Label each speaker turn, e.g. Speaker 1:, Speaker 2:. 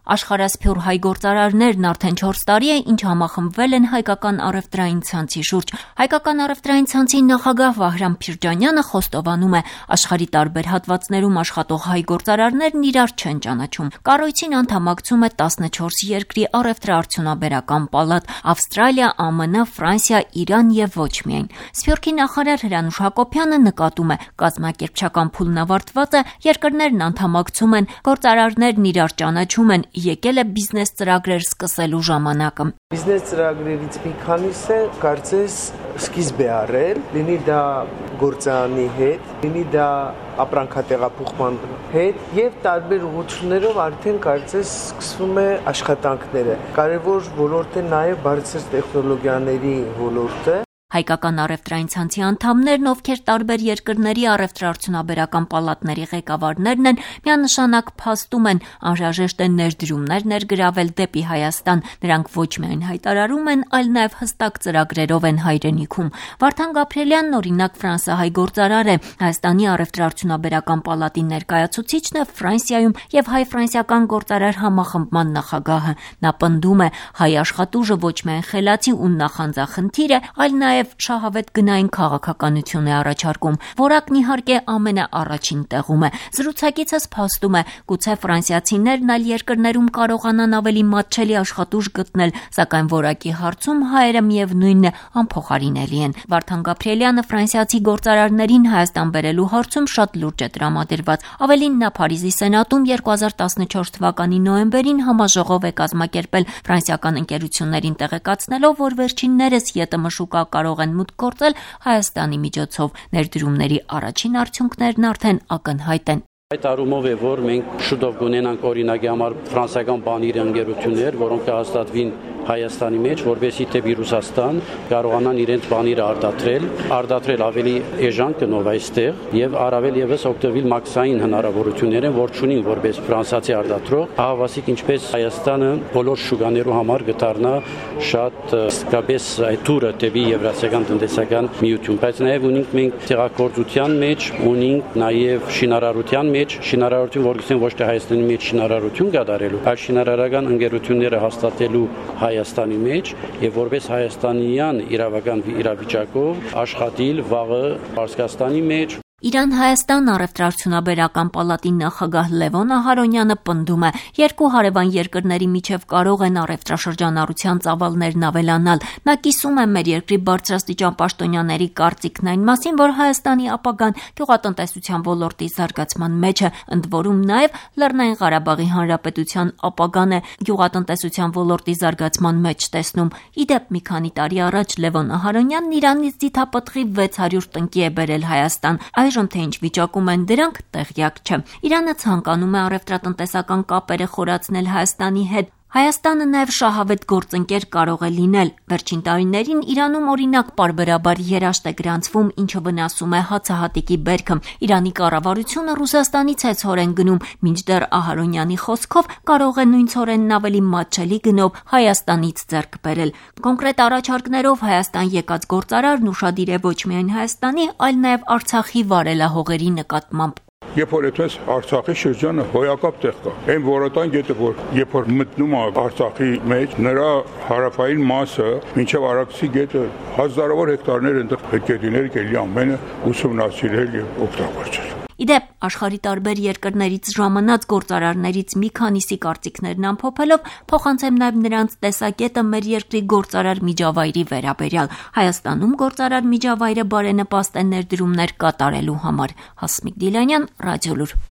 Speaker 1: Աշխարհասփյուռ հայ գործարարներն արդեն 4 տարի է, ինչ համախմբվել են հայկական առևտրային ցանցի շուրջ։ Հայկական առևտրային ցանցի նախագահ Վահրամ Փիրջանյանը խոստովանում է, աշխարհի տարբեր հատվածներում աշխատող հայ գործարարներն իրար չեն ճանաչում։ Կառույցին անդամակցում է 14 երկրի առևտրաարդյունաբերական պալատ՝ Ավստրալիա, ԱՄՆ, Ֆրանսիա, Իրան եւ ոչ միայն։ Սփյուռքի նախարար Հրանուշ Հակոբյանը նկատում է, կազմակերպչական փուլն ավարտված է, երկրներն անդամակցում են, գործարարներն իրար ճանաչում են, եկել է բիզնես ծրագրեր սկսելու ժամանակը։
Speaker 2: Բիզնես ծրագրերից մի քանիսը կարծես սկիզբ է առել, լինի դա գործարանի հետ, լինի դա ապրանքատեղափոխման հետ եւ տարբեր ուղղություններով արդեն կարծես սկսվում է աշխատանքները։ Կարևոր ոլորտ է նաեւ բարձր տեխնոլոգիաների ոլորտը։
Speaker 1: Հայկական առևտրային ցանցի անդամներն, ովքեր տարբեր երկրների առևտրաարդյունաբերական պալատների ղեկավարներն են, միանշանակ փաստում են, անհրաժեշտ է ներդրումներ ներգրավել դեպի Հայաստան։ Նրանք ոչ միայն հայտարարում են, այլ նաև հստակ ծրագրերով են հայրենիքում։ Վարդան Գաբրիելյանն, օրինակ, ֆրանսահայ գործարար է, Հայաստանի առևտրաարդյունաբերական պալատի ներկայացուցիչն է Ֆրանսիայում եւ հայ-ֆրանսիական գործարար համախմբման նախագահը։ Նա պնդում է, հայ աշխատուժը ոչ միայն խելացի ու նախանձախնդիր է, այլ նաև շահավետ գնային քաղաքականություն է առաջարկում, որակն իհարկե ամենաառաջին տեղում է։ Զրուցակիցս փաստում է, գուցե ֆրանսիացիներն այլ երկրներում կարողանան ավելի մատչելի աշխատուժ գտնել, սակայն որակի հարցում հայերը միևնույնն է, անփոխարինելի են։ Վարդան Գաբրիելյանը ֆրանսիացի գործարարներին Հայաստան բերելու հարցում շատ լուրջ է տրամադրված։ Ավելին, նա Փարիզի Սենատում 2014 թվականի նոյեմբերին համաժողով է կազմակերպել ֆրանսիական ընկերություններին տեղեկացնելով, որ վերջիններս ԵՏՄ շուկա կարող են մուտք գործել Հայաստանի միջոցով։ Ներդրումների առաջին արդյունքներն արդեն ակնհայտ են։
Speaker 3: Այդ առումով է, որ մենք շուտով կունենանք օրինակի համար ֆրանսիական բանիր ընկերություններ, որոնք կհաստատվին Հայաստանի մեջ, որովհետեւ դեպի Ռուսաստան կարողանան իրենց բանիրը արտադրել ավելի էժան գնով այստեղ եւ առավել եւս օգտվել մաքսային հնարավորությունները, որ ունին որպես ֆրանսիացի արտադրող, ահավասիկ ինչպես Հայաստանը բոլոր շուկաներու համար գտարնա շատ իսկապես այդ տուրը դեպի Եվրասիական տնտեսական միություն, բայց նաեւ ունենք մենք տեղեկատվության մեջ, ունենք նաեւ շինարարության մեջ, շինարարություն, որ գիտեն ոչ թե Հայաստանի մեջ շինարարություն կատարելու, այլ շինարարական ընկերությունները հաստատելու Հայաստանի մեջ եւ որպես հայաստանյան իրավական իրավիճակով աշխատել վաղը Պարսկաստանի մեջ։
Speaker 1: Իրան-Հայաստան առևտրաարդյունաբերական պալատի նախագահ Լևոն Ահարոնյանը պնդում է, երկու հարևան երկրների միջև կարող են առևտրաշրջանառության ծավալներն ավելանալ։ Նա կիսում է մեր երկրի բարձրաստիճան պաշտոնյաների կարծիքն այն մասին, որ Հայաստանի ապագան գյուղատնտեսության ոլորտի զարգացման մեջ է, ընդ որում նաև Լեռնային Ղարաբաղի Հանրապետության ապագան է գյուղատնտեսության ոլորտի զարգացման մեջ տեսնում։ Իդեպ մի քանի տարի առաջ Լևոն Ահարոնյանն Իրանից ձիթապտղի 600 տնկի է բերել Հայաստան։ Այժմ թե ինչ վիճակում են դրանք, տեղյակ չէ։ Իրանը ցանկանում է առևտրատնտեսական կապերը խորացնել Հայաստանի հետ։ Հայաստանը նաև շահավետ գործընկեր կարող է լինել։ Վերջին տարիներին Իրանում օրինակ պարբերաբար երաշտ է գրանցվում, ինչը վնասում է հացահատիկի բերքը։ Իրանի կառավարությունը Ռուսաստանից է ցորեն գնում, մինչդեռ Ահարոնյանի խոսքով կարող է նույն ցորենն ավելի մատչելի գնով Հայաստանից ձեռք բերել։ Կոնկրետ առաջարկներով Հայաստան եկած գործարարն ուշադիր է ոչ միայն Հայաստանի, այլ նաև Արցախի վարելահողերի նկատմամբ։
Speaker 4: Երբ որ այդպես Արցախի շրջանը հոյակապ տեղ կա, այն որոտան գետը, որ երբ որ մտնում է Արցախի մեջ, նրա հարավային մասը մինչև Արաքսի գետը հազարավոր հեկտարներ այնտեղ պետք է լինել, կելի ամենը ուսումնասիրել եւ օգտագործել։
Speaker 1: Իդեպ, աշխարհի տարբեր երկրներից ժամանած գործարարներից մի քանիսի կարծիքներն ամփոփելով, փոխանցեմ նաև նրանց տեսակետը մեր երկրի գործարար միջավայրի վերաբերյալ։ Հայաստանում գործարար միջավայրը բարենպաստ է ներդրումներ կատարելու համար։ Հասմիկ Դիլանյան, Ռադիոլուր։